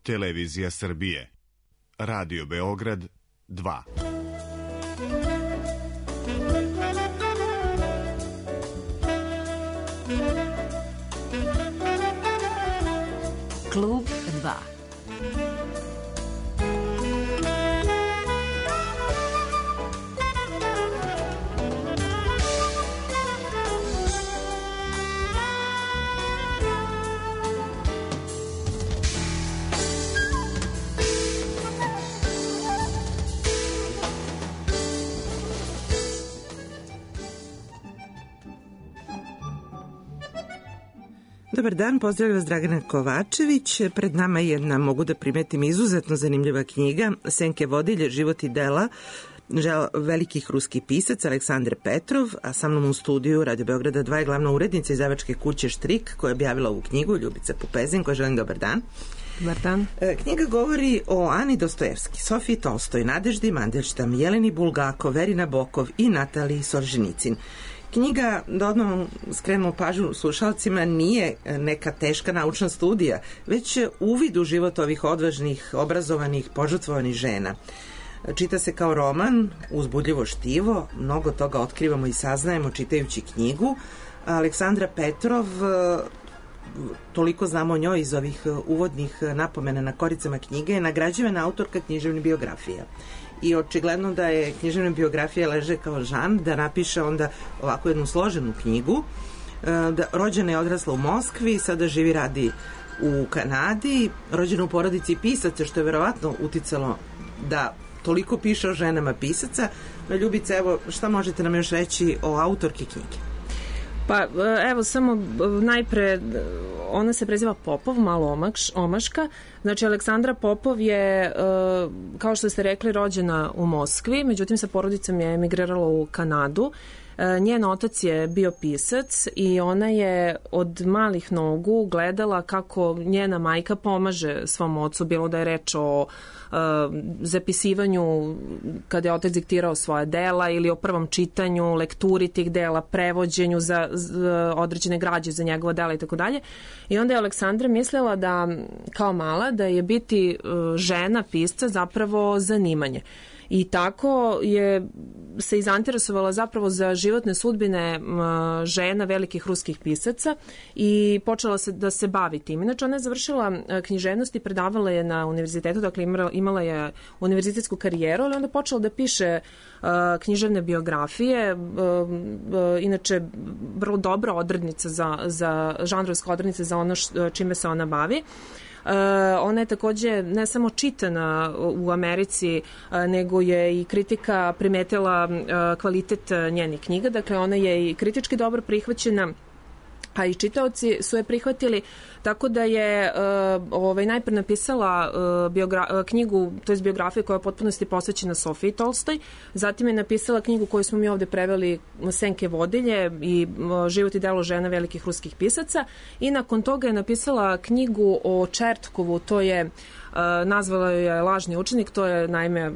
Televizija Srbije. Radio Beograd 2. Klub 2. Dobar dan, pozdravljam vas Dragana Kovačević. Pred nama je jedna, mogu da primetim, izuzetno zanimljiva knjiga Senke vodilje, život i dela velikih ruskih pisaca Aleksandre Petrov, a sa mnom u studiju Radio Beograda 2 je glavna urednica izdavačke kuće Štrik koja je objavila ovu knjigu, Ljubica Pupezin, koja želim dobar dan. Dobar dan. Knjiga govori o Ani Dostojevski, Sofiji Tolstoj, Nadeždi Mandelštam, Jeleni Bulgakov, Veri Nabokov i Nataliji Solženicin. Knjiga, da odmah skrenemo pažnju slušalcima, nije neka teška naučna studija, već uvid u život ovih odvažnih, obrazovanih, požrtvovanih žena. Čita se kao roman, uzbudljivo štivo, mnogo toga otkrivamo i saznajemo čitajući knjigu. Aleksandra Petrov, toliko znamo o njoj iz ovih uvodnih napomena na koricama knjige, je nagrađivana autorka književne biografije. I očigledno da je književna biografija leže kao žan, da napiše onda ovako jednu složenu knjigu. Rođena je odrasla u Moskvi, sada živi radi u Kanadi, rođena u porodici pisaca, što je verovatno uticalo da toliko piše o ženama pisaca. Ljubica, evo, šta možete nam još reći o autorki knjige? Pa evo, samo najpre, ona se preziva Popov, malo omaška. Znači, Aleksandra Popov je, kao što ste rekli, rođena u Moskvi, međutim sa porodicom je emigrirala u Kanadu. Njen otac je bio pisac i ona je od malih nogu gledala kako njena majka pomaže svom ocu, bilo da je reč o zapisivanju kada je otac diktirao svoje dela ili o prvom čitanju, lekturi tih dela, prevođenju za određene građe za njegova dela i tako dalje. I onda je Aleksandra mislila da, kao mala, da je biti žena pisca zapravo zanimanje. I tako je se izanteresovala zapravo za životne sudbine žena velikih ruskih pisaca i počela se da se bavi tim. Inače, ona je završila književnost i predavala je na univerzitetu, dakle imala je univerzitetsku karijeru, ali onda počela da piše književne biografije, inače vrlo dobra odrednica za žanrovska odrednica za ono čime se ona bavi. Ona je takođe ne samo čitana u Americi, nego je i kritika primetila kvalitet njenih knjiga, dakle ona je i kritički dobro prihvaćena, a i čitaoci su je prihvatili, tako da je najpre napisala knjigu, to je biografija koja je u potpunosti posvećena Sofiji Tolstoj, zatim je napisala knjigu koju smo mi ovde preveli Senke vodilje i život i delo žena velikih ruskih pisaca, i nakon toga je napisala knjigu o Čertkovu, to je nazvala je Lažni učenik, to je naime,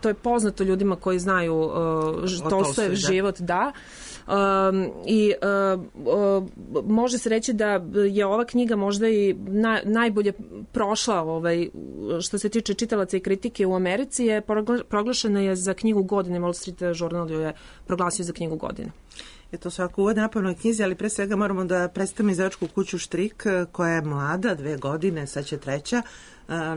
to je poznato ljudima koji znaju Tolstojev život, da. Može se reći da je ova knjiga možda i najbolje prošla što se tiče čitalaca i kritike u Americi, je proglašena je za knjigu godine, Wall Street Journal je proglasio za knjigu godine. To svako uvod napravno knjizi, ali pre svega moramo da predstavimo izdavačku kuću Štrik, koja je mlada, 2 godine, sad će 3.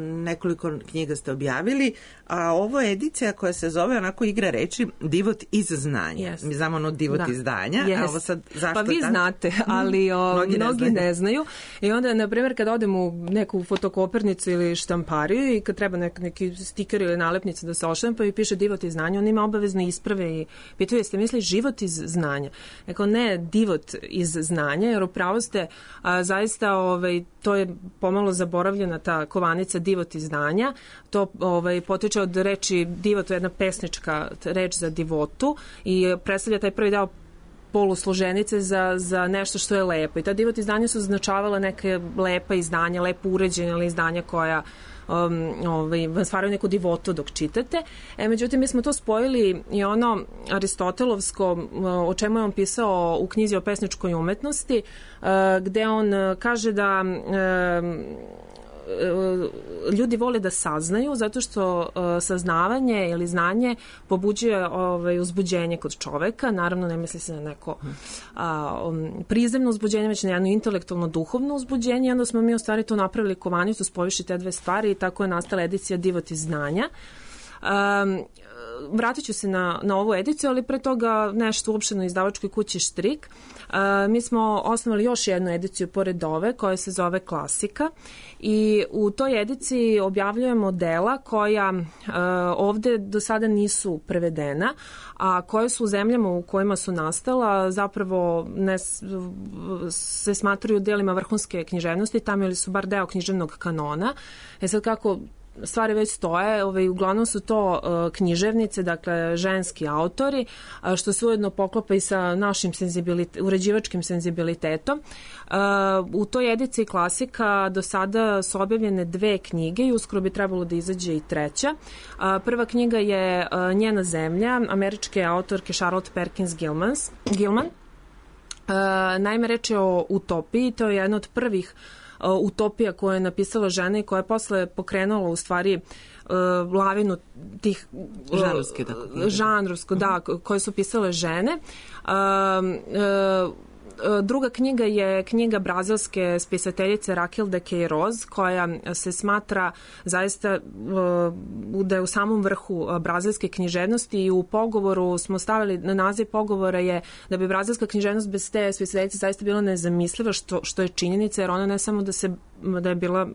Nekoliko knjiga ste objavili, a ovo je edicija koja se zove, onako igra reči, Divot iz znanja. Yes. Mi znamo ono divot iz zdanja, a ovo sad zašto pa vi znate, ali mnogi ne znaju. I onda, na primjer, kad odem u neku fotokopernicu ili štampariju i kad treba neki stiker ili nalepnica da se oštampa i piše divot iz znanja, on ima obavezne isprave i pitaju, jeste misli život iz znanja? Neko, ne divot iz znanja, jer upravo ste zaista, to je pomalo zaboravljena ta kovanica divot iz znanja. To potiče od reči divot, to je jedna pesnička reč za divotu i predstavlja taj prvi deo polusloženice za nešto što je lepo. I ta divot izdanja su označavala neke lepa izdanja, lepo uređene ili izdanja koja vam stvaraju neku divotu dok čitate. Međutim, mi smo to spojili i ono aristotelovsko, o čemu je on pisao u knjizi o pesničkoj umetnosti, gde on kaže da ljudi vole da saznaju, zato što saznavanje ili znanje pobuđuje uzbuđenje kod čoveka. Naravno, ne misli se na neko prizemno uzbuđenje, već na jedno intelektualno duhovno uzbuđenje. I onda smo mi u stvari to napravili kovanicu, spojiši te dve stvari i tako je nastala edicija Divot iz znanja. Vratit ću se na ovu ediciju, ali pre toga nešto uopšteno izdavačkoj kući Štrik. Mi smo osnovali još jednu ediciju pored ove koja se zove Klasika i u toj ediciji objavljujemo dela koja ovde do sada nisu prevedena, a koje su u zemljama u kojima su nastala zapravo se smatraju delima vrhunske književnosti, tamo ili su bar deo književnog kanona. Sad kako stvari već stoje, uglavnom su to književnice, dakle ženski autori, što se ujedno poklopa i sa našim uređivačkim senzibilitetom. U toj ediciji Klasika do sada su objavljene 2 knjige i uskoro bi trebalo da izađe i 3. Prva knjiga je Njena zemlja, američke autorke Charlotte Perkins Gilman. Naime, reč je o utopiji, to je jedna od prvih utopija koju je napisala žena i koja je posle pokrenula u stvari lavinu tih žanrovsko, da, koje su pisale žene. Druga knjiga je knjiga brazilske spisateljice Raquel de Queiroz, koja se smatra zaista da je u samom vrhu brazilske književnosti i u pogovoru smo stavili, na naziv pogovora je da bi brazilska književnost bez te spisateljice zaista bila nezamisliva, što je činjenica, jer ona ne samo da je bila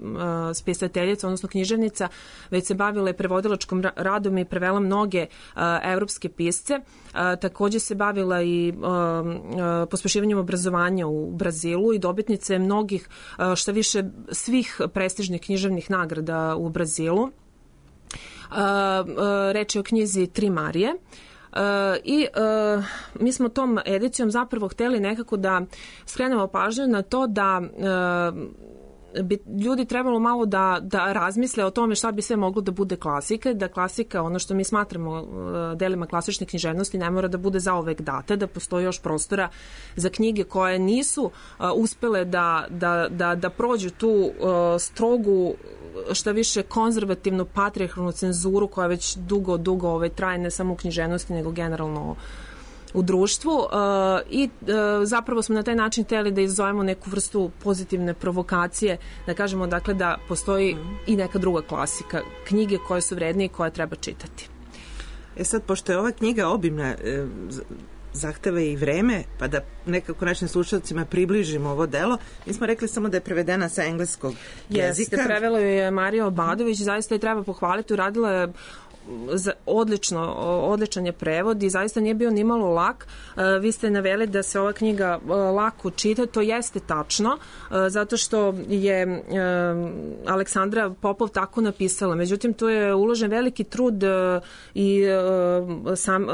spisateljica, odnosno književnica, već se bavila i prevodilačkom radom i prevela mnoge evropske pisce. Takođe se bavila i pospešivanjem obrazovanja u Brazilu i dobitnice mnogih, šta više, svih prestižnih književnih nagrada u Brazilu. Reč je o knjizi Tri Marije. I mi smo tom edicijom zapravo hteli nekako da skrenemo pažnju na to da bi ljudi trebalo malo da razmisle o tome šta bi sve moglo da bude klasika, da klasika, ono što mi smatramo delima klasične književnosti, ne mora da bude zauvek data, da postoji još prostora za knjige koje nisu uspele da prođu tu strogu, šta više konzervativnu patrijarhalnu cenzuru koja već dugo traje ne samo u književnosti nego generalno u društvu i zapravo smo na taj način hteli da izazovemo neku vrstu pozitivne provokacije, da kažemo dakle da postoji i neka druga klasika, knjige koje su vredne i koje treba čitati. Sad, pošto je ova knjiga obimna, zahteva i vreme, pa da nekako našim slušalcima približimo ovo delo, mi smo rekli samo da je prevedena sa engleskog jezika. Jeste, prevela je Marija Obadović, zaista je treba pohvaliti, uradila je odličan je prevod i zaista nije bio ni malo lak. Vi ste naveli da se ova knjiga lako čita, to jeste tačno, zato što je Aleksandra Popov tako napisala. Međutim, tu je uložen veliki trud i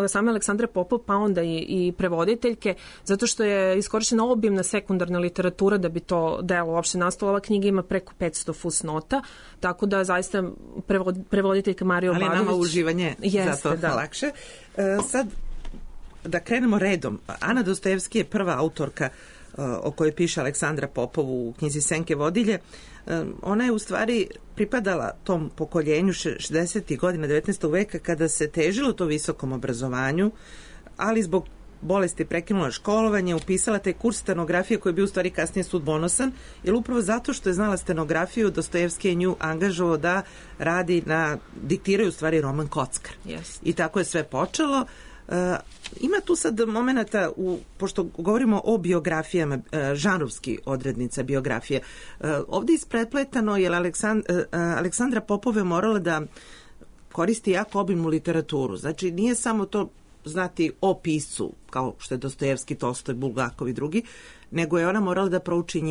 same Aleksandre Popov, pa onda i prevoditeljke, zato što je iskorišćena obimna sekundarna literatura da bi to delo uopšte nastalo. Ova knjiga ima preko 500 fusnota, tako da zaista prevoditeljka Marija Obadović uživanje zato lakše. Sad da krenemo redom. Ana Dostojevski je prva autorka o kojoj piše Aleksandra Popov u knjizi Senke vodilje. Ona je u stvari pripadala tom pokoljenju 60. godina 19. veka kada se težilo to visokom obrazovanju, ali zbog bolesti prekinula školovanje, upisala taj kurs stenografije koji je bio u stvari kasnije sudbonosan, jer upravo zato što je znala stenografiju, Dostojevski je nju angažovao da radi diktiraju u stvari roman Kockar. Yes. I tako je sve počelo. Ima tu sad momenata, pošto govorimo o biografijama, žanrovski odrednica biografije, ovdje isprepletano jer Aleksandra Popov je morala da koristi jako obimnu literaturu. Znači, nije samo to znati o piscu, kao što je Dostojevski, Tolstoj, Bulgakov i drugi, nego je ona morala da prouči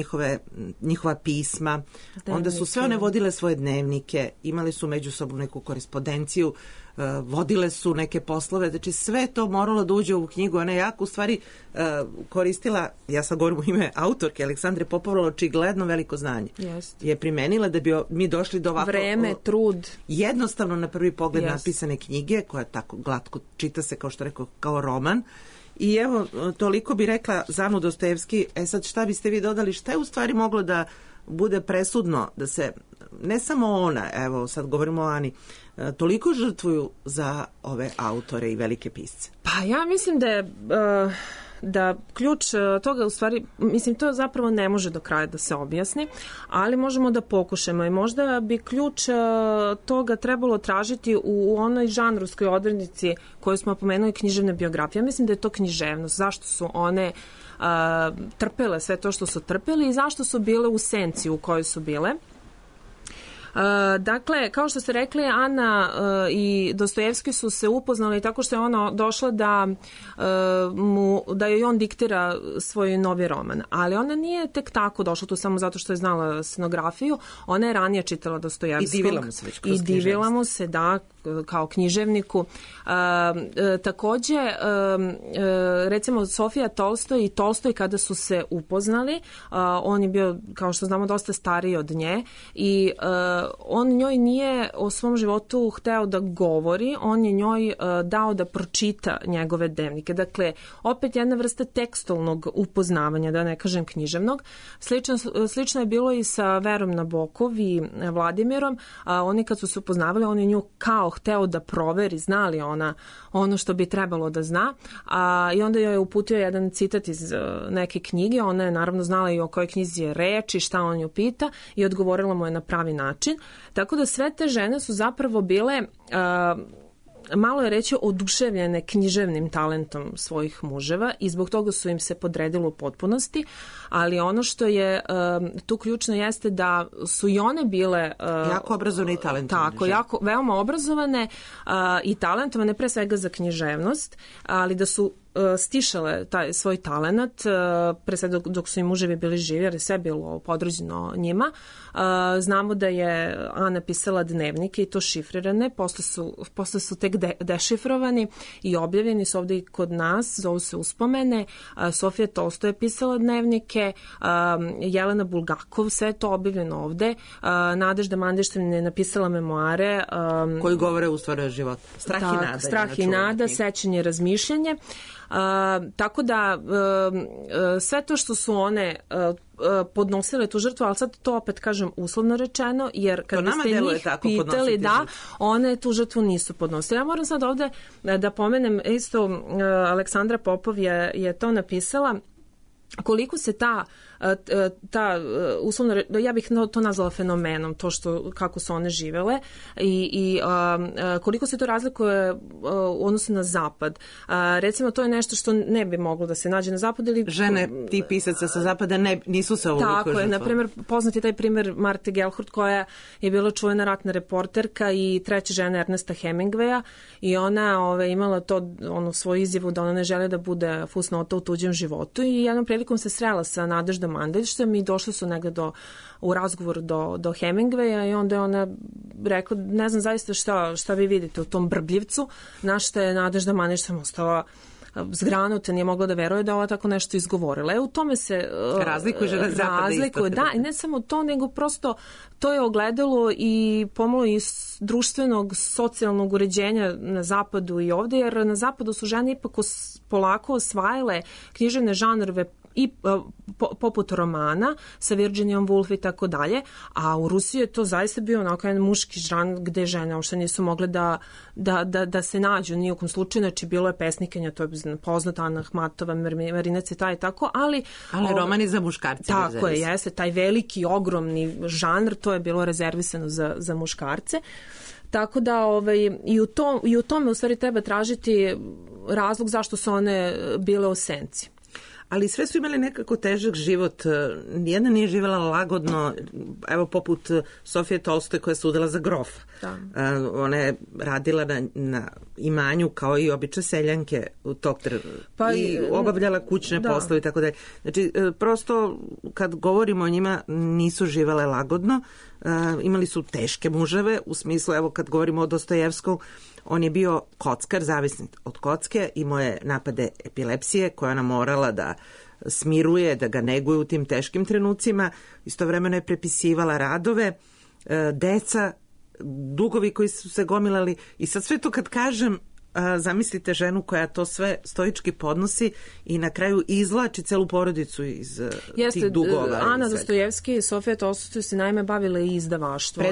njihova pisma. Onda su sve one vodile svoje dnevnike, imali su međusobnu neku korespondenciju, vodile su neke poslove, znači sve to moralo da uđe u knjigu. Ona je jako u stvari koristila, ja sad govorim u ime autorke Aleksandre Popov, očigledno veliko znanje. Je primenila da bi mi došli do ovako vreme, trud, jednostavno na prvi pogled napisane knjige, koja tako glatko čita se, kao što rekao, kao roman. I evo, toliko bi rekla za Anu Dostojevski. Sad šta biste vi dodali, šta je u stvari moglo da bude presudno da se ne samo ona, evo sad govorimo o Ani, toliko žrtvuju za ove autore i velike pisce? Pa ja mislim da je... da ključ toga u stvari, mislim to zapravo ne može do kraja da se objasni, ali možemo da pokušamo i možda bi ključ toga trebalo tražiti u onoj žanrovskoj odrednici koju smo pomenuli, književne biografije. Ja mislim da je to književnost. Zašto su one trpele sve to što su trpeli i zašto su bile u senci u kojoj su bile. Dakle, kao što ste rekli, Ana i Dostojevski su se upoznali tako što je ona došla da joj on diktira svoj novi roman. Ali ona nije tek tako došla tu samo zato što je znala scenografiju. Ona je ranije čitala Dostojevskog. I divila mu se već kroz književnost. I divila mu se, da, kao književniku. Takođe, recimo Sofija Tolstoj i Tolstoj kada su se upoznali, on je bio, kao što znamo, dosta stariji od nje i on njoj nije o svom životu hteo da govori, on je njoj dao da pročita njegove dnevnike. Dakle, opet jedna vrsta tekstualnog upoznavanja, da ne kažem književnog. Slično je bilo i sa Verom Nabokov i Vladimirom. Oni kad su se upoznavali, on je nju kao hteo da proveri, zna li ona ono što bi trebalo da zna. I onda joj je uputio jedan citat iz neke knjige. Ona je naravno znala i o kojoj knjizi je reč i šta on ju pita i odgovorila mu je na pravi način. Tako da sve te žene su zapravo bile, malo je reći, oduševljene književnim talentom svojih muževa i zbog toga su im se podredilo u potpunosti, ali ono što je tu ključno jeste da su i one bile jako obrazovane i talentovane. Tako, jako, veoma obrazovane i talentovane, pre svega za književnost, ali da su stišale taj svoj talenat, pre sve dok su im muževi bili živi, jer je sve bilo podređeno njima. Znamo da je Ana pisala dnevnike i to šifrirane, posle su tek dešifrovani i objavljeni su ovde i kod nas, zovu se Uspomene. Sofija Tolstoj je pisala dnevnike, Jelena Bulgakov, sve je to objavljeno ovde. Nadežda Mandeštin je napisala memoare koji govore u stvari o životu. Strah i nada, sećanje i razmišljanje. Tako da sve to što su one podnosile tu žrtvu, ali sad to opet kažem uslovno rečeno, jer kad biste njih pitali, da, one tu žrtvu nisu podnosile. Ja moram sad ovde da pomenem, isto Aleksandra Popov je to napisala, koliko se ta uslovno, ja bih to nazvala fenomenom, to što, kako su one živele i koliko se to razlikuje u odnosu na zapad. Recimo, to je nešto što ne bi moglo da se nađe na zapadu. Žene ti pisaca sa zapada nisu se ovoliko žrtvovale. Tako je, na primjer, poznat je taj primjer Marte Gellhurt, koja je bila čuvena ratna reporterka i treća žena Ernesta Hemingwaya i ona imala svoju izjavu da ona ne želi da bude fusnota u tuđem životu i jednom prilikom se srela sa Nadeždom Mandelstam i došli su negde u razgovor do Hemingwaya i onda je ona rekla, ne znam zaista šta vi vidite u tom brbljivcu, na što je Nadežda Mandelstam ostala zgranuta, nije mogla da veruje da ova tako nešto izgovorila. U tome se razlikuje žena zapada isto. Da, i ne samo to, nego prosto to je ogledalo i pomalo iz društvenog, socijalnog uređenja na zapadu i ovde, jer na zapadu su žene ipak polako osvajale književne žanrove i poput romana sa Virginijom Woolf i tako dalje, a u Rusiji je to zaista bio onako jedan muški žanr gde žene uopšte nisu mogle da se nađu ni u kom slučaju, znači bilo je pesnikinja, to je poznata Ana Ahmatova, Marina Cvetaj i tako, ali romani za muškarce. Tako je, jeste, taj veliki, ogromni žanr, to je bilo rezervisano za muškarce. Tako da i u tome u stvari treba tražiti razlog zašto su one bile u senci. Ali sve su imali nekako težak život. Nijedna nije živjela lagodno, evo poput Sofije Tolstoj koja se udala za grofa. Ona je radila na imanju kao i obične seljanke u tog i obavljala kućne poslove i tako dalje. Znači, prosto kad govorimo o njima nisu živjele lagodno, imali su teške muževe, u smislu, evo kad govorimo o Dostojevskom, on je bio kockar, zavisni od kocke, imao je napade epilepsije koje ona morala da smiruje, da ga neguje u tim teškim trenucima. Istovremeno je prepisivala radove, deca, dugovi koji su se gomilali i sad sve to kad kažem, zamislite ženu koja to sve stoički podnosi i na kraju izvlači celu porodicu iz tih dugova. Ana Dostojevski i Sofija Tolstoj se naime bavile i izdavaštvo.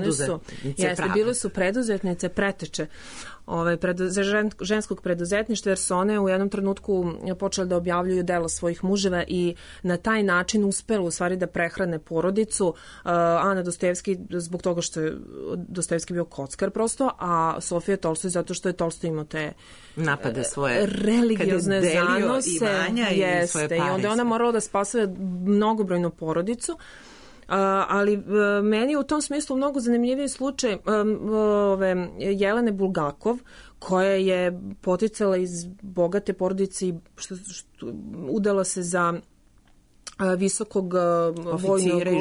Bile su preduzetnice, preteče ženskog preduzetništva, jer su one u jednom trenutku počele da objavljuju dela svojih muževa i na taj način uspela u stvari da prehrane porodicu. Ana Dostojevski zbog toga što je Dostojevski bio kockar prosto, a Sofija Tolstoj zato što je Tolstoj imao te napade svoje religiozne zanose i svoje pare. I onda ona morala da spasuje mnogobrojnu porodicu. Ali meni je u tom smislu mnogo zanimljiviji slučaj Jelene Bulgakov, koja je poticala iz bogate porodice i udala se za visokog vojnog oficira,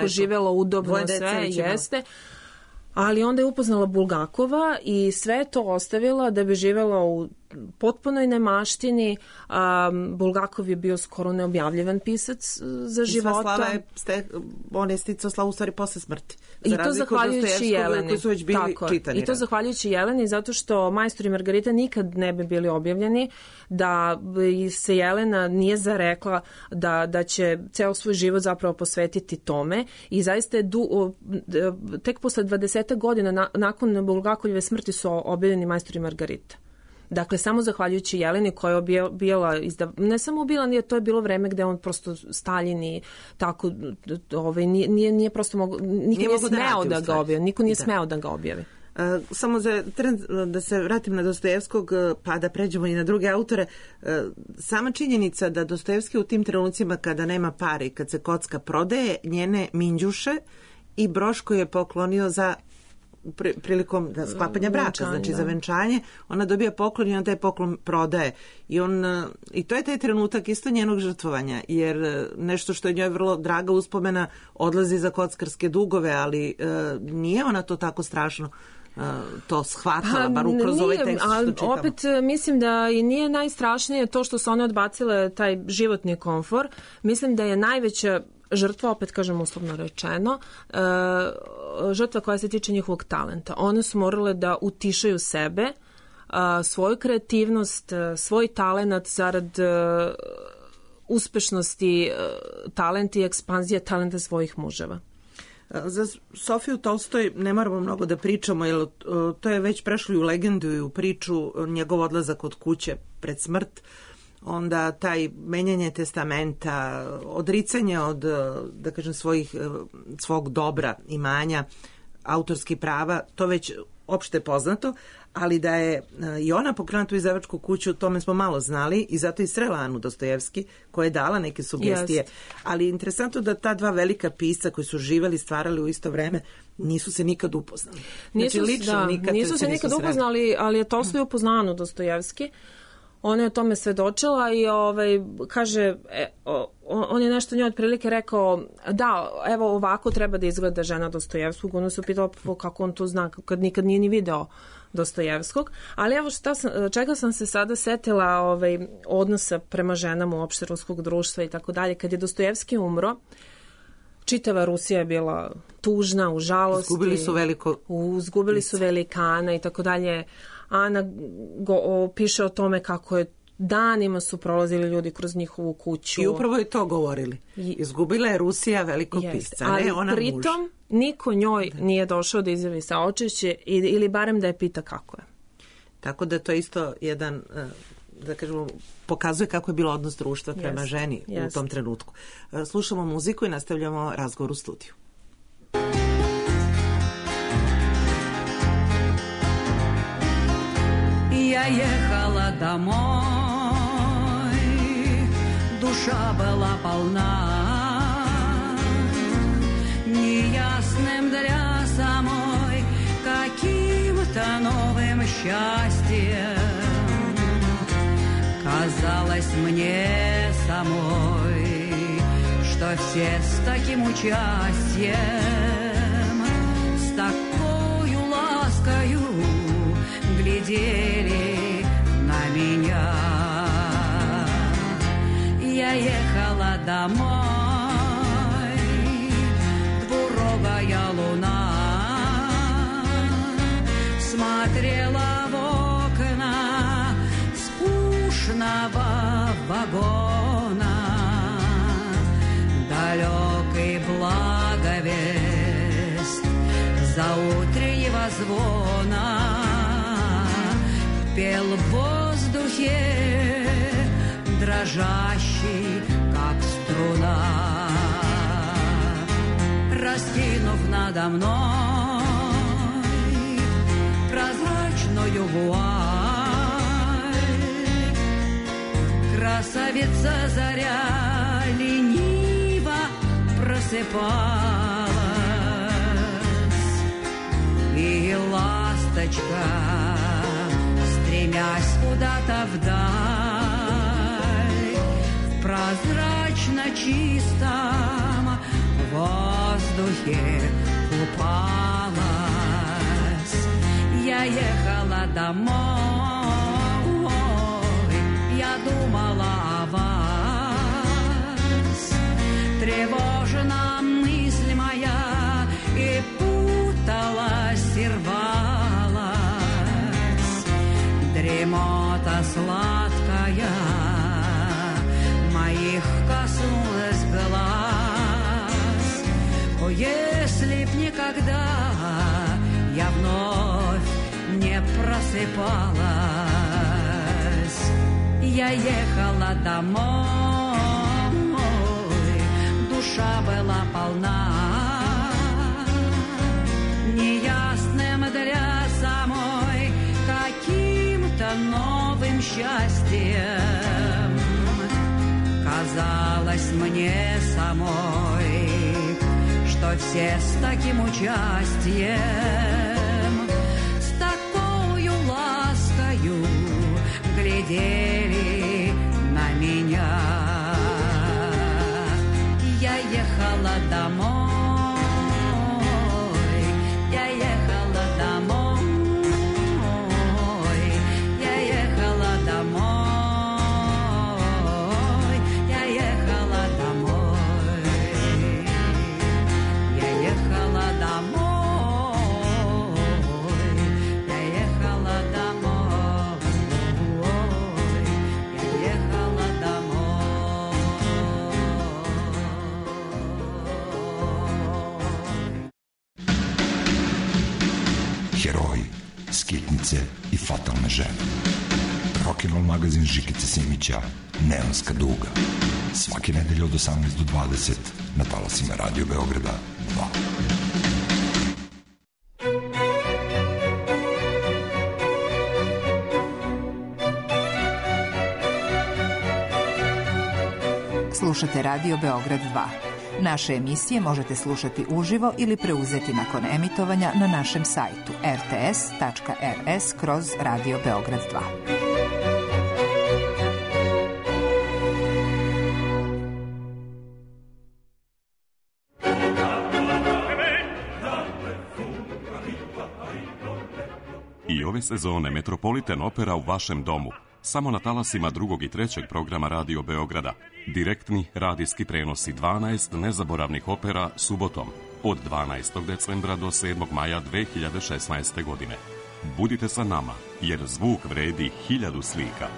živela udobno, sve jeste. Ali onda je upoznala Bulgakova i sve to ostavila da bi živela u potpunoj nemaštini. Bulgakov je bio skoro neobjavljivan pisac za života. I sva slava on je sticao slavu u stvari posle smrti. I to zahvaljujući Jeleni. Koji su već bili čitani. I to zahvaljujući Jeleni, zato što Majstor i Margarita nikad ne bi bili objavljeni, da se Jelena nije zarekla da će ceo svoj život zapravo posvetiti tome. I zaista je tek posle 20 godina nakon Bulgakovljeve smrti su objavljeni Majstor i Margarita. Dakle, samo zahvaljujući Jeleni koja je bila, ne samo bila, to je bilo vreme gde on prosto Staljin i tako, nije prosto niko nije smeo da ga objavi. Niko nije smeo da ga objavi. Samo za da se vratim na Dostojevskog, pa da pređemo i na druge autore. Sama činjenica da Dostojevski u tim trenucima kada nema pare i kad se kocka prodaje njene minđuše i broš koji je poklonio za prilikom sklapanja braka, znači za venčanje, ona dobija poklon i on taj poklon prodaje. I to je taj trenutak isto njenog žrtvovanja, jer nešto što je njoj vrlo draga uspomena odlazi za kockarske dugove, ali nije ona to tako strašno to shvatala, bar kroz ovaj tekst što čitamo. Opet mislim da i nije najstrašnije to što su one odbacile taj životni komfor. Mislim da je najveća žrtva, opet kažem uslovno rečeno, žrtva koja se tiče njihovog talenta. One su morale da utišaju sebe, svoju kreativnost, svoj talent zarad uspešnosti, talent i ekspanzije talenta svojih muževa. Za Sofiju Tolstoj ne moramo mnogo da pričamo, jer to je već prešlo i u legendu i u priču, njegov odlazak od kuće pred smrt, onda taj menjanje testamenta, odricanje od, da kažem, svog dobra, imanja, autorskih prava, to već opšte poznato, ali da je i ona pokrenula tu izdavačku kuću, o tome smo malo znali i zato i srela Anu Dostojevski, koja je dala neke sugestije. Ali interesantno da ta dva velika pisca koji su živeli, stvarali u isto vreme, nisu se nikad upoznali. Nisu se nikad upoznali, ali je Tolstoj upoznao Anu Dostojevski. Ona je o tome svedočila i kaže, on je nešto njoj otprilike rekao, da, evo ovako treba da izgleda žena Dostojevskog. Ona se upitala kako on to zna, kad nikad nije ni video Dostojevskog. Ali evo čega sam se sada setila odnosa prema ženama uopšte ruskog društva i tako dalje. Kad je Dostojevski umro, čitava Rusija je bila tužna, u žalosti. Izgubili su velikana i tako dalje. Ana piše o tome kako je danima su prolazili ljudi kroz njihovu kuću. I upravo je to govorili. Izgubila je Rusija velikog pisca, ne ona muž. Ali pritom niko njoj nije došao da izjavi saučešće ili barem da je pita kako je. Tako da to isto jedan, da kažemo, pokazuje kako je bilo odnos društva prema ženi u tom trenutku. Slušamo muziku i nastavljamo razgovor u studiju. Я ехала домой, душа была полна неясным для самой каким-то новым счастьем. Казалось мне самой, что все с таким участием, с такою ласкою глядели на меня. Я ехала домой, двурогая луна смотрела в окна вагона, далекий благовест заутреннего звона пел в воздухе, дрожащий, как струна, раскинув надо мной прозрачную вуаль. Красавица заря лениво просыпалась, и ласточка, стремясь куда-то вдаль, в прозрачно чистом воздухе купалась. Я ехала домой, я думала о вас. Тревожна мысль моя, и путалась, и рвалась. Дремота сладкая моих коснулась глаз. О, если б никогда я вновь не просыпалась. Я ехала домой, душа была полна неясным для самой каким-то новым счастьем. Казалось мне самой, что все с таким участием, с такою ласкою глядели на меня. Я ехала домой, я ехала домой, я ехала домой, я ехала домой, я ехала домой, я ехала домой, я ехала домой. Heroji, skitnice i fatalne žene. Rock'n'roll magazin Žikice Simića, Neonska duga. Svake nedelje od 18 do 20 na talasima Radio Beograda 2. Slušate Radio Beograd 2. Naše emisije možete slušati uživo ili preuzeti nakon emitovanja na našem sajtu rts.rs/Radio Beograd 2. I ove sezone Metropolitan Opera u vašem domu. Samo na talasima 2. i 3. programa Radio Beograda. Direktni radijski prenosi 12 nezaboravnih opera subotom od 12. decembra do 7. maja 2016. godine. Budite sa nama, jer zvuk vredi 1000 slika.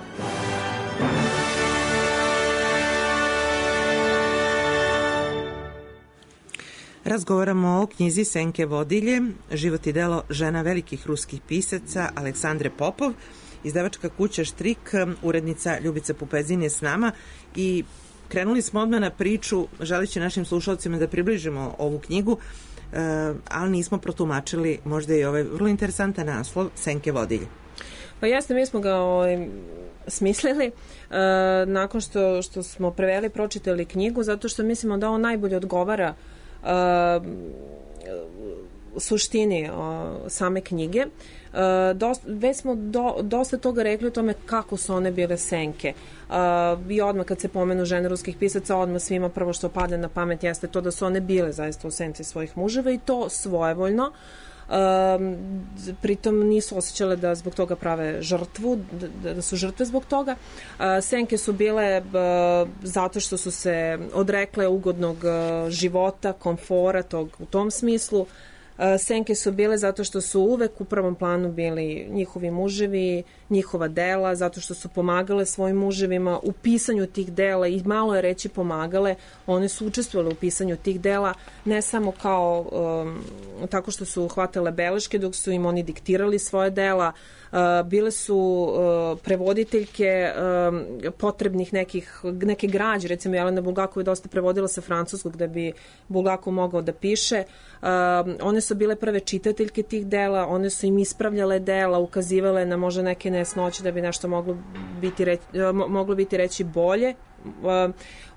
Razgovaramo o knjizi Senke Vodilje, život i delo žena velikih ruskih pisaca Aleksandre Popov. Izdavačka kuća Štrik, urednica Ljubica Pupezin je s nama i krenuli smo odmah na priču, želeći našim slušalcima da približimo ovu knjigu, ali nismo protumačili možda i ovaj vrlo interesantan naslov Senke Vodilje. Pa jeste, mi smo ga smislili nakon što smo preveli, pročitali knjigu, zato što mislimo da on najbolje odgovara suštini same knjige. Već smo dosta toga rekli o tome kako su one bile senke. I odmah kad se pomenu žene ruskih pisaca, odmah svima prvo što padne na pamet jeste to da su one bile zaista u senci svojih muževa i to svojevoljno. Pritom nisu osjećale da zbog toga prave žrtvu, da su žrtve zbog toga. Senke su bile zato što su se odrekle ugodnog života, komfora, u tom smislu. Senke su bile zato što su uvek u prvom planu bili njihovi muževi, njihova dela, zato što su pomagale svojim muževima u pisanju tih dela i malo je reći pomagale, one su učestvovale u pisanju tih dela, ne samo kao tako što su hvatale beleške dok su im oni diktirali svoje dela, bile su prevoditeljke potrebnih neke građe, recimo Jelena Bulgakova je dosta prevodila sa francuskog da bi Bulgakov mogao da piše. One su bile prve čitateljke tih dela, one su im ispravljale dela, ukazivale na možda neke nesnoće da bi nešto moglo biti reći bolje.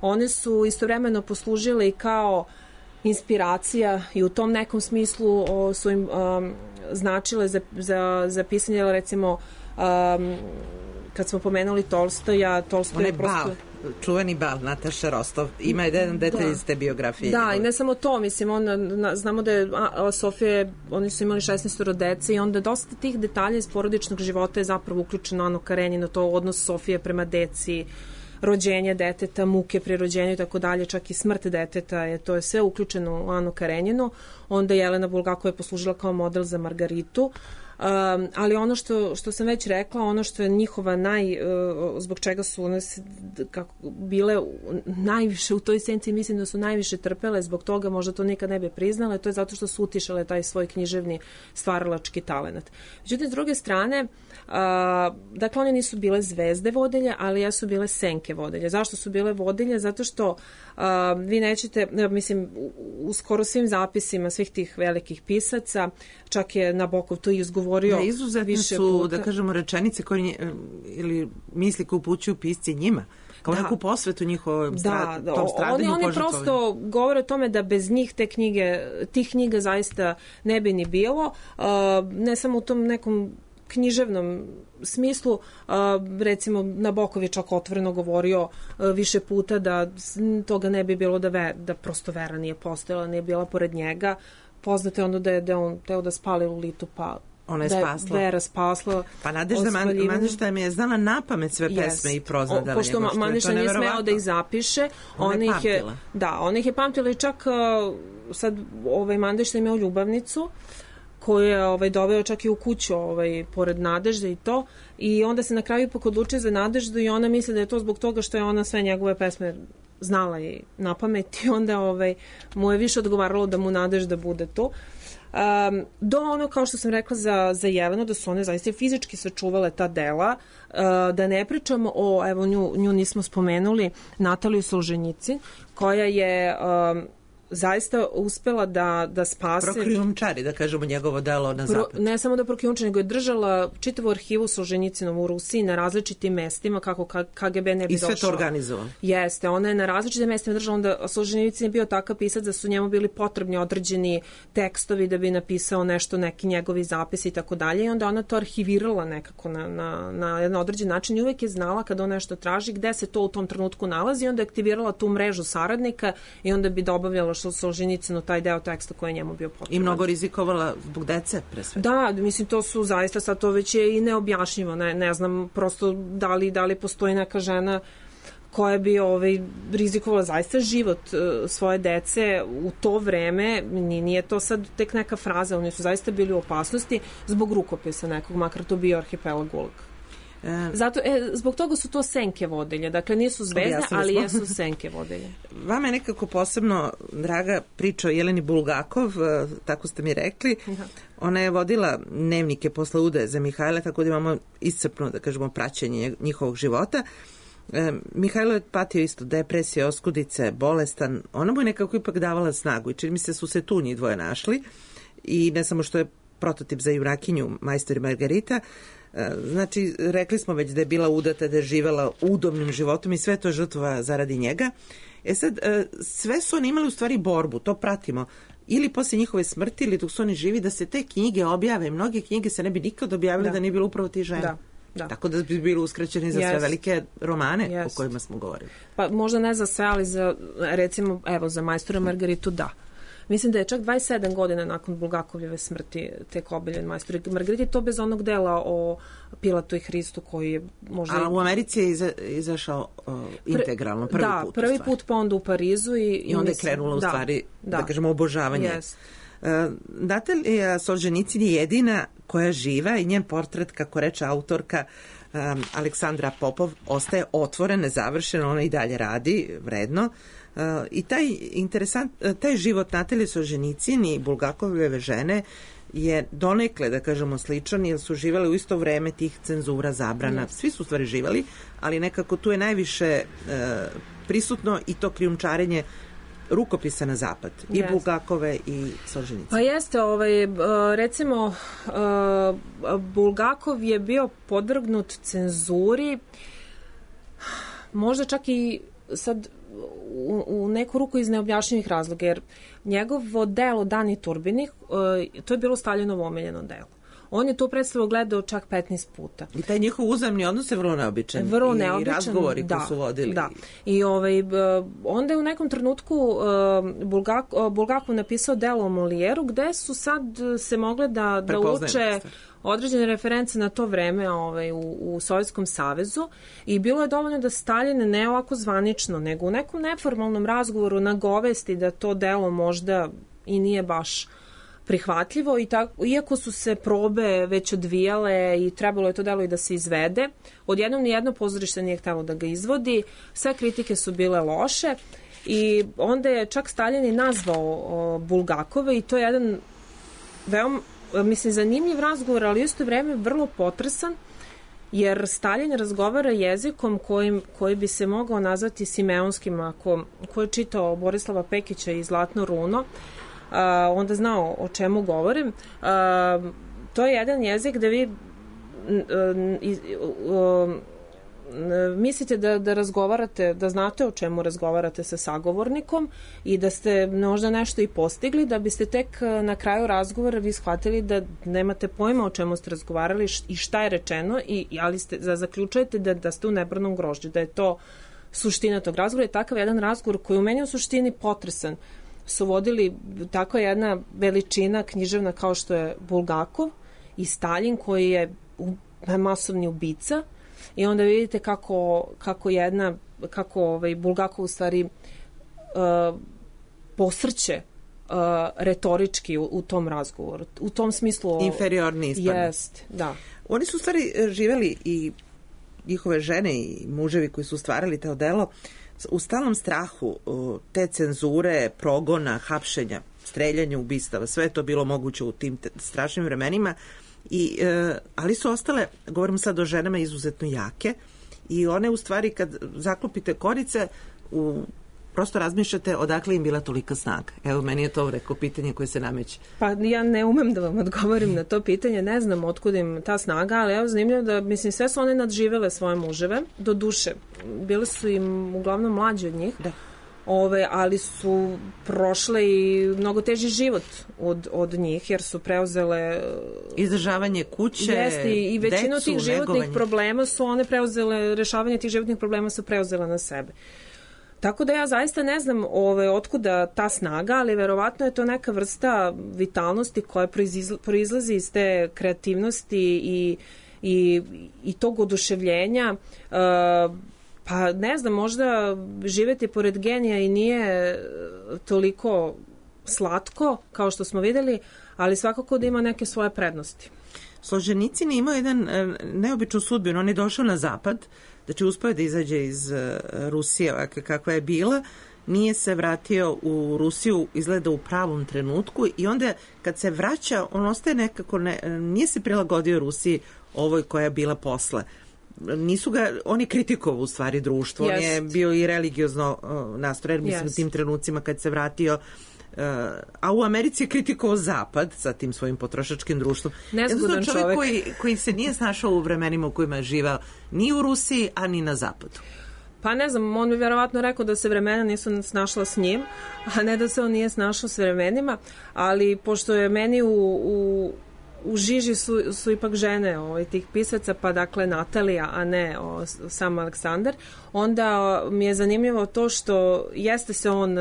One su istovremeno poslužile i kao inspiracija i u tom nekom smislu su im značile za pisanje, recimo kad smo pomenuli Tolstoja, Tolstoj je prosto... Čuveni bal, Nataša Rostov. Ima jedan detalj iz te biografije. Da, i ne samo to, mislim, znamo da je Sofija, oni su imali 16 dece i onda dosta tih detalja iz porodičnog života je zapravo uključeno Ano Karenjinu, to odnos Sofije prema deci, rođenje deteta, muke pri rođenju i tako dalje, čak i smrt deteta, to je sve uključeno u Anu Karenjinu. Onda Jelena Bulgakova je poslužila kao model za Margaritu. Ali ono što sam već rekla, ono što je njihova zbog čega su one bile najviše u toj senci, mislim da su najviše trpele zbog toga, možda to nikad ne bi priznale, to je zato što su utišale taj svoj književni stvaralački talenat. Međutim, s druge strane, dakle, one nisu bile zvezde vodilje, ali jesu bile senke vodilje. Zašto su bile vodilje? Zato što vi nećete, mislim, u skoro svim zapisima svih tih velikih pisaca, čak je Nabokov to izgovorio više puta. Da kažemo, rečenice ili misli koje upućuju pisci njima, kao neku posvetu njihovom stradanju. Oni prosto govore o tome da bez njih tih knjiga zaista ne bi ni bilo, ne samo u tom nekom književnom smislu, recimo Nabokov je čak otvoreno govorio više puta da toga ne bi bilo da prosto vera nije postojala, nije bila pored njega. Poznato je ono da je on teo da spali Lolitu, pa ona je spasla. Da je Vera spasla. Pa Nadežda mi je znala napamet sve pesme i prozadala. Pošto Mandišta nije smeo da ih zapiše, ona ih je pamtila i čak sad Mandišta imao ljubavnicu koju je doveo čak i u kuću pored Nadežde i to, i onda se na kraju ipak odlučio za Nadeždu i ona misli da je to zbog toga što je ona sve njegove pesme znala i na pamet i onda mu je više odgovaralo da mu Nadežda bude to. Do ono, kao što sam rekla za Jelenu, da su one zaista fizički sačuvale ta dela, da ne pričamo evo nju nismo spomenuli, Nataliju Solženjicin, koja je zaista uspela da spase... Prokrijumčari, da kažemo, njegovo delo na zapad. Ne samo da prokrijumčari, nego je držala čitavu arhivu Solženjicinovu u Rusiji na različitim mestima kako KGB ne bi došao. I sve to organizovalo. Jeste, ona je na različitim mestima držala, onda Solženjicin je bio takav pisac da su njemu bili potrebni određeni tekstovi da bi napisao nešto, neki njegovi zapisi i tako dalje, i onda ona to arhivirala nekako na jedan određen način i uvek je znala kada on nešto traži gde se to u tom trenutku nalazi i onda je aktivirala tu mrežu saradnika i onda bi dobavljala Solženjicinu taj deo teksta koji je njemu bio potreban. I mnogo rizikovala zbog dece, pre svega. Da, mislim, to su zaista, sad to već je i neobjašnjivo, ne znam prosto da li postoji neka žena koja bi rizikovala zaista život svoje dece u to vreme, nije to sad tek neka fraza, oni su zaista bili u opasnosti zbog rukopisa nekog, makar to bio arhipelag Gulag. Zato, zbog toga su to senke vodilje, dakle nisu zvezde, ali jesu senke vodilje. Vama je nekako posebno draga priča o Jeleni Bulgakov, tako ste mi rekli. Ona je vodila dnevnike posle udaje za Mihajla, tako da imamo iscrpno, da kažemo, praćenje njihovog života. Mihajlo je patio isto depresije, oskudice, bolestan. Ona mu je nekako ipak davala snagu i čini mi se su se tu njih dvoje našli i ne samo što je prototip za junakinju Majstor i Margarita. Znači, rekli smo već da je bila udata, da je živela udobnim životom i sve to žrtva zaradi njega. Sad, sve su oni imali u stvari borbu, to pratimo, ili posle njihove smrti ili dok su oni živi, da se te knjige objave. Mnoge knjige se ne bi nikad objavile da nije bilo upravo ti žena. Da. Tako da bi bili uskraćeni za sve velike romane o kojima smo govorili. Pa možda ne za sve, ali za, recimo, evo, za Majstora Margaritu, da. Mislim da je čak 27 godina nakon Bulgakovljeve smrti tek objavljen Majstor i Margarita, to bez onog dela o Pilatu i Hristu koji je možda... A u Americi je izašao integralno, prvi put. Da, prvi put, pa onda u Parizu. I onda je krenula u stvari, da kažemo, obožavanje Natalija Solženicin je jedina koja živa i njen portret, kako reče autorka Aleksandra Popov, ostaje otvoren, nezavršen, ona i dalje radi vredno. I taj život Natalije Solženicin i Bulgakove žene je donekle, da kažemo, sličan, jer su živjeli u isto vreme tih cenzura, zabrana. Svi su stvari živjeli, ali nekako tu je najviše prisutno i to krijumčarenje rukopisa na zapad. I Bulgakove i Solženicin. Pa jeste, recimo Bulgakov je bio podvrgnut cenzuri, možda čak i sad u neku ruku iz neobjašnjivih razloga, jer njegovo delo Dani Turbini, to je bilo Staljinovo omiljeno delo. On je to predstavu gledao čak 15 puta. I taj njihov uzajamni odnos je vrlo neobičan. Vrlo neobičan, i razgovori koji su vodili. Da. I onda je u nekom trenutku Bulgakov napisao delo o Molijeru, gde su sad se mogle da uče određene reference na to vreme u Sovjetskom savezu i bilo je dovoljno da Staljin ne ovako zvanično, nego u nekom neformalnom razgovoru nagovesti da to delo možda i nije baš prihvatljivo, iako su se probe već odvijale i trebalo je to delo i da se izvede. Odjednom nijedno pozorište nije htjelo da ga izvodi, sve kritike su bile loše i onda je čak Staljin i nazvao Bulgakove i to je jedan veoma, zanimljiv razgovor, ali u isto vreme vrlo potresan, jer Staljin razgovara jezikom koji bi se mogao nazvati simeonskim. Ko je čitao Borislava Pekića i Zlatno runo, onda znao o čemu govorim. To je jedan jezik gde vi mislite da razgovarate, da znate o čemu razgovarate sa sagovornikom i da ste možda nešto i postigli, da biste tek na kraju razgovora vi shvatili da nemate pojma o čemu ste razgovarali i šta je rečeno, ali zaključujete da ste u nebranom grožđu, da je to suština tog razgovora. Je takav jedan razgovor koji u meni u suštini potresan su vodili tako jedna veličina književna kao što je Bulgakov i Staljin, koji je masovni ubica, i onda vidite kako Bulgakov u stvari posrće retorički u tom razgovoru. U tom smislu inferiorni ispadne. Jest, da. Oni su u stvari živjeli, i njihove žene i muževi koji su stvarali to delo, u stalnom strahu te cenzure, progona, hapšenja, streljanja, ubistava. Sve je to bilo moguće u tim strašnim vremenima. Ali su ostale, govorim sad o ženama, izuzetno jake, i one u stvari kad zaklopite korice, prosto razmišljate odakle im bila tolika snaga. Evo, meni je to rekao pitanje koje se nameće. Pa ja ne umem da vam odgovorim na to pitanje, ne znam otkud im ta snaga, ali evo, zanimljivo da, sve su one nadživele svoje muževe, do duše. Bile su im uglavnom mlađi od njih. Da. Ali su prošle i mnogo teži život od njih, jer su preuzele izdržavanje kuće, jeste, i većinu tih životnih problema su one preuzele, rešavanje tih životnih problema su preuzele na sebe. Tako da ja zaista ne znam otkuda ta snaga, ali verovatno je to neka vrsta vitalnosti koja proizlazi iz te kreativnosti i tog oduševljenja. Pa ne znam, možda živjeti pored genija i nije toliko slatko kao što smo vidjeli, ali svakako da ima neke svoje prednosti. Solženicin je imao jedan neobičnu sudbinu. On je došao na zapad, znači uspio da izađe iz Rusije kakva je bila, nije se vratio u Rusiju, izgleda u pravom trenutku, i onda kad se vraća, on ostaje nekako, nije se prilagodio Rusiji ovoj koja je bila posle. Nisu ga, on je kritikovao u stvari društvo, on je bio i religiozno nastrojen, mislim, u tim trenucima kad se vratio, a u Americi je kritikovao Zapad sa tim svojim potrošačkim društvom. Nezgodan čovjek koji se nije snašao u vremenima u kojima je živao ni u Rusiji, a ni na Zapadu. Pa ne znam, on bi vjerovatno rekao da se vremena nisu snašla s njim, a ne da se on nije snašao s vremenima, ali pošto je meni u žiži su ipak žene tih pisaca, pa dakle Natalija, a ne sam Aleksandar, onda mi je zanimljivo to što jeste se on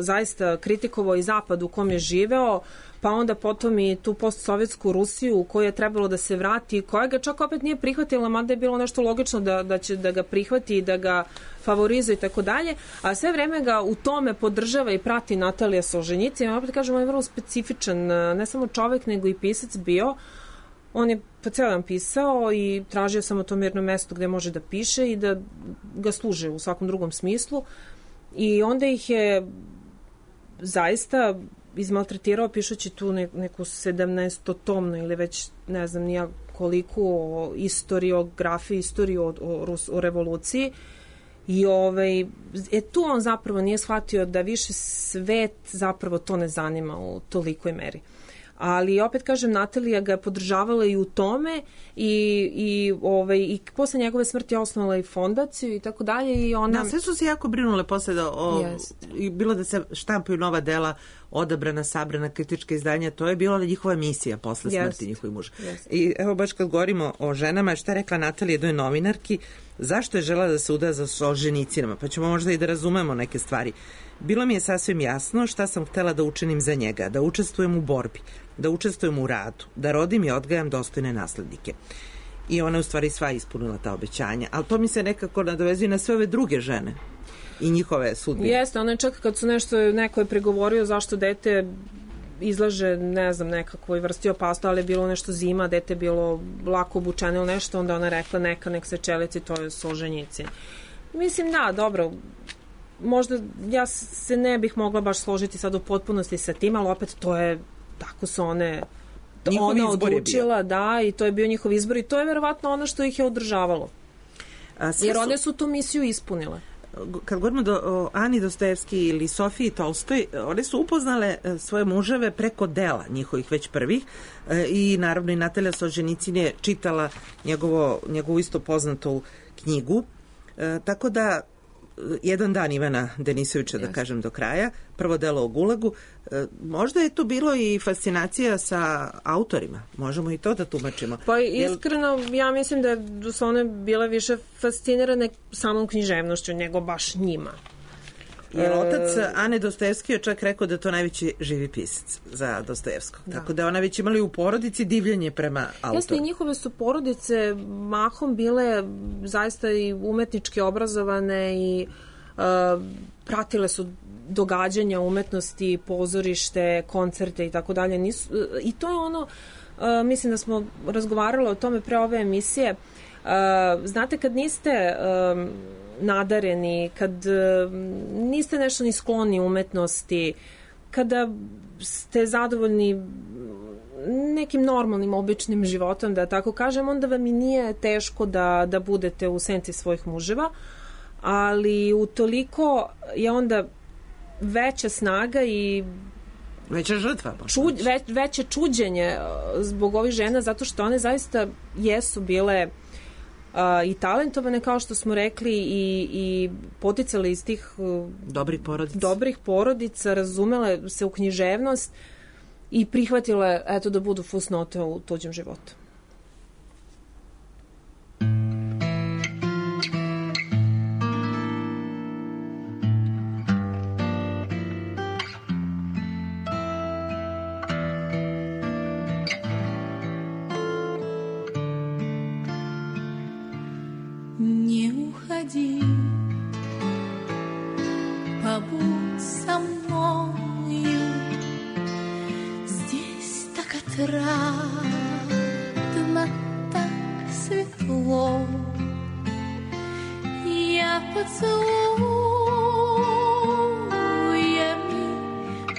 zaista kritikovao i Zapad u kom je živeo, pa onda potom i tu postsovjetsku Rusiju u kojoj je trebalo da se vrati, koja ga čak opet nije prihvatila, mada je bilo nešto logično da će da ga prihvati i da ga favorizuje i tako dalje, a sve vreme ga u tome podržava i prati Natalija Solženjicin. Ja opet kažem, on je vrlo specifičan, ne samo čovek, nego i pisac bio. On je po ceo dan pisao i tražio samo to mirno mesto gde može da piše i da ga služe u svakom drugom smislu. I onda ih je zaista izmaltretirao pišući tu neku 17-tomnu ili već ne znam nija koliko istoriografiju, istoriju o revoluciji. I tu on zapravo nije shvatio da više svet zapravo to ne zanima u tolikoj meri. Ali opet kažem, Natalija ga je podržavala i u tome i posle njegove smrti osnovala i fondaciju i tako dalje. I ona... sve su se jako brinule posle bilo da se štampaju nova dela, odabrana, sabrana, kritička izdanja, to je bila njihova misija posle smrti njihovih muža. I evo baš kad govorimo o ženama, šta je rekla Natalija jednoj novinarki, zašto je žela da se uda za Solženjicinama, pa ćemo možda i da razumemo neke stvari. Bilo mi je sasvim jasno šta sam htela da učinim za njega, da učestvujem u borbi, da učestvujem u radu, da rodim i odgajam dostojne naslednike. I ona u stvari sva ispunila ta obećanja, ali to mi se nekako nadovezuje na sve ove druge žene i njihove sudbine. Jeste, ona je čak kad su neko je pregovorio zašto dete izlaže, ne znam, nekakvoj vrsti opasnosti, ali je bilo nešto zima, dete je bilo lako obučeno ili nešto, onda ona rekla nek se čelici, to je Solženjicin. Mislim, da, dobro, možda ja se ne bih mogla baš složiti sad u potpunosti sa tim, ali opet to je, tako su ona odlučila, da, i to je bio njihov izbor i to je verovatno ono što ih je održavalo. Jer one su tu misiju ispunile. Kad govorimo o Ani Dostojevski ili Sofiji Tolstoj, one su upoznale svoje muževe preko dela njihovih već prvih i naravno i Natalija Solženjicin je čitala njegovu isto poznatu knjigu, tako da Jedan dan Ivana Denisovića, da kažem do kraja, prvo delo o Gulagu. Možda je tu bilo i fascinacija sa autorima. Možemo i to da tumačimo. Pa iskreno, ja mislim da su one bile više fascinirane samom književnošću, nego baš njima. Jer otac Ane Dostojevski je čak rekao da je to najveći živi pisac za Dostojevskog. Da. Tako da ona već imali u porodici divljenje prema autoru. Jeste, i njihove su porodice mahom bile zaista i umetnički obrazovane i pratile su događanja umetnosti, pozorište, koncerte i tako dalje. I to je ono, mislim da smo razgovarali o tome pre ove emisije. Znate, kad niste nadareni, kad niste nešto ni skloni umetnosti, kada ste zadovoljni nekim normalnim, običnim životom, da tako kažem, onda vam i nije teško da budete u senci svojih muževa, ali utoliko je onda veća snaga i veća žrtva. Veće čuđenje zbog ovih žena, zato što one zaista jesu bile i talentovane, kao što smo rekli, i poticale iz tih dobrih porodica, razumele se u književnost i prihvatile, eto, da budu fusnote u tuđem životu. Побудь со мною, здесь так отрадно, так светло. Я поцелуями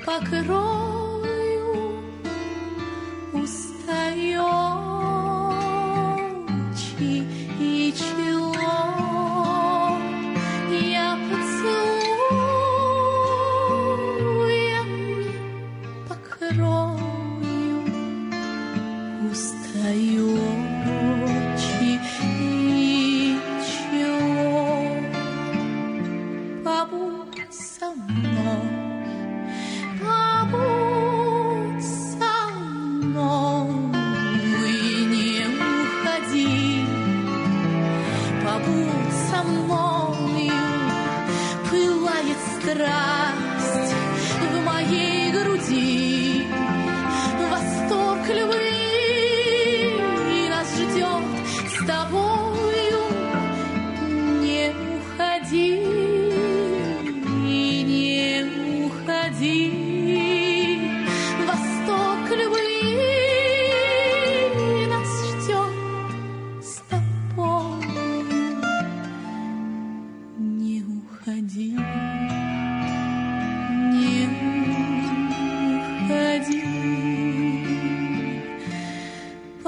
покрою устающий и чело. Страсть в моей груди,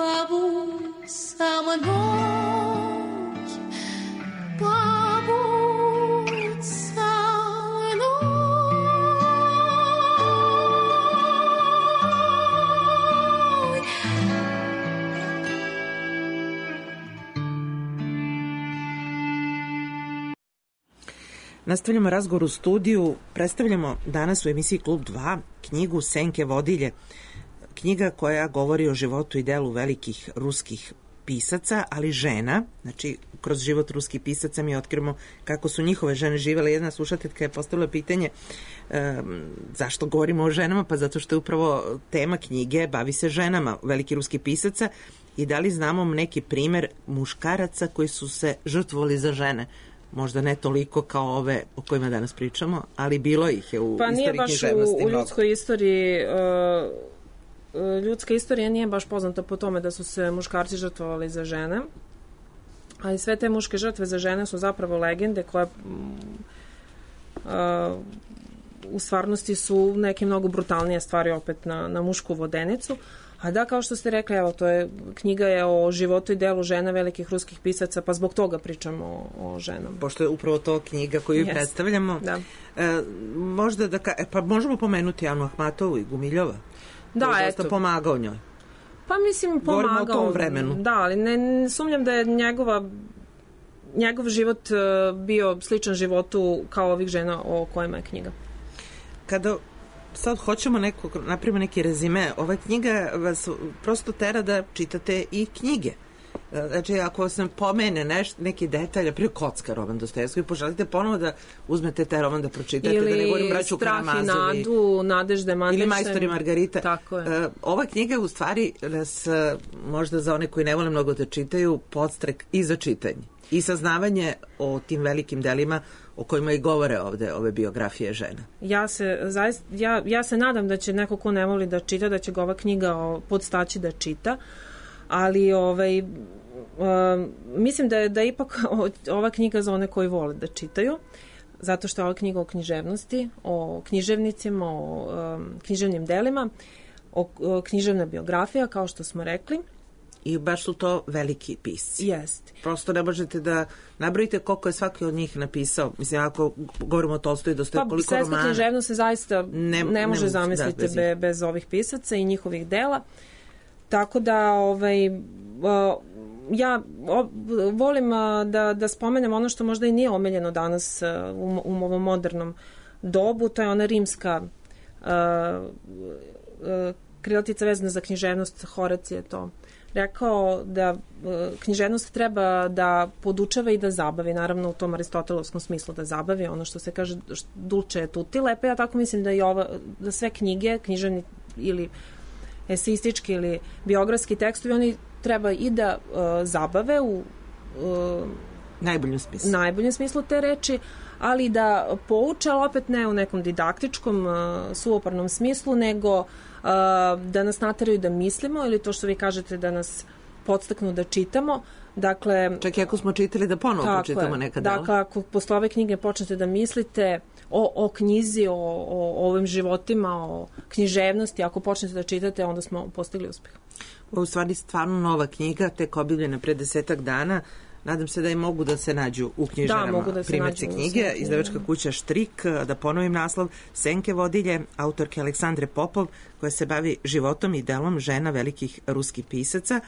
побудь со мной, побудь со мной. Nastavljamo razgovor u studiju. Predstavljamo danas u emisiji Klub 2 knjigu Senke vodilje. Knjiga koja govori o životu i delu velikih ruskih pisaca, ali žena. Znači, kroz život ruskih pisaca mi otkrivamo kako su njihove žene živele. Jedna slušateljka je postavila pitanje zašto govorimo o ženama, pa zato što je upravo tema knjige bavi se ženama veliki ruski pisaca i da li znamo neki primer muškaraca koji su se žrtvovali za žene. Možda ne toliko kao ove o kojima danas pričamo, ali bilo ih je u istoriji književnosti. Pa nije baš u ljudskoj istoriji, ljudska istorija nije baš poznata po tome da su se muškarci žrtvovali za žene, ali sve te muške žrtve za žene su zapravo legende koje u stvarnosti su neke mnogo brutalnije stvari opet na mušku vodenicu. A da, kao što ste rekli, evo, knjiga je o životu i delu žena velikih ruskih pisaca, pa zbog toga pričamo o ženama. Pošto je upravo to knjiga koju predstavljamo. Da. Možda pa možemo pomenuti Anu Ahmatovu i Gumiljova. Da, koji je eto. dosta pomagao njoj. Pa mislim, pomagao. Govorimo o tom vremenu. Da, ali ne sumnjam da je njegov život bio sličan životu kao ovih žena o kojima je knjiga. Kada sad hoćemo napravimo neki rezime, ova knjiga vas prosto tera da čitate i knjige. Znači, ako se pomene neki detalj, prije Kocka, roman Dostojevski, poželite ponovo da uzmete taj roman da pročitate, ili da ne govorim Braću Karamazovi. Strah i nadu, Nadežde Mandićem. Ili Majstor i Margarita. Tako je. Ova knjiga u stvari nas, možda za one koji ne vole mnogo da čitaju, podstrek i za čitanje. I saznavanje o tim velikim delima o kojima i govore ovde ove biografije žena. Ja se nadam da će neko ko ne voli da čita, da će ga ova knjiga podstaći da čita, ali mislim da je ipak ova knjiga za one koji vole da čitaju, zato što je ova knjiga o književnosti, o književnicima, o književnim delima, o književna biografija, kao što smo rekli. I baš su to veliki pisci. Jeste. Prosto ne možete da nabrojite koliko je svaki od njih napisao. Mislim, ako govorimo o Tolstoju i Dostojevu, koliko romana. Svetska književnost se zaista ne može zamisliti bez ovih pisaca i njihovih dela. Tako da ja volim da spomenem ono što možda i nije omiljeno danas u ovom modernom dobu, to je ona rimska krilatica vezana za književnost. Horacije je to rekao da književnost treba da podučava i da zabavi, naravno u tom aristotelovskom smislu da zabavi, ono što se kaže dulce et utile, pa ja tako mislim da sve knjige, književni ili eseistički ili biografski tekstovi, oni treba i da zabave u najboljem smislu te reči, ali da pouče, ali opet ne u nekom didaktičkom, suvoparnom smislu, nego da nas nateraju da mislimo, ili to što vi kažete da nas podstaknu da čitamo. Dakle, čak i ako smo čitali da ponovo pročitamo nekada. Dakle, ako posle ove knjige počnete da mislite o knjizi, o ovim životima, o književnosti, ako počnete da čitate, onda smo postigli uspeh. Ovo je u stvari stvarno nova knjiga, tek objavljena pre 10 dana. Nadam se da i mogu da se nađu u knjižarama primjerci knjige. Izdavačka kuća Štrik, da ponovim naslov, Senke vodilje, autorke Aleksandre Popov, koja se bavi životom i delom žena velikih ruskih pisaca.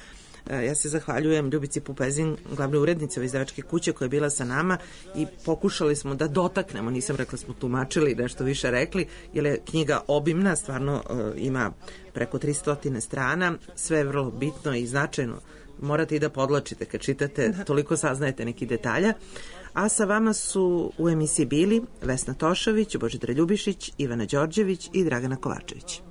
Ja se zahvaljujem Ljubici Pupezin, glavnoj urednici ove izdavačke kuće, koja je bila sa nama i pokušali smo da dotaknemo, nisam rekla smo tumačili, nešto više rekli, jer je knjiga obimna, stvarno ima preko 300 strana, sve je vrlo bitno i značajno. Morate i da podlačite kad čitate, toliko saznajete neki detalja. A sa vama su u emisiji bili Vesna Tošović, Božidar Ljubišić, Ivana Đorđević i Dragana Kovačević.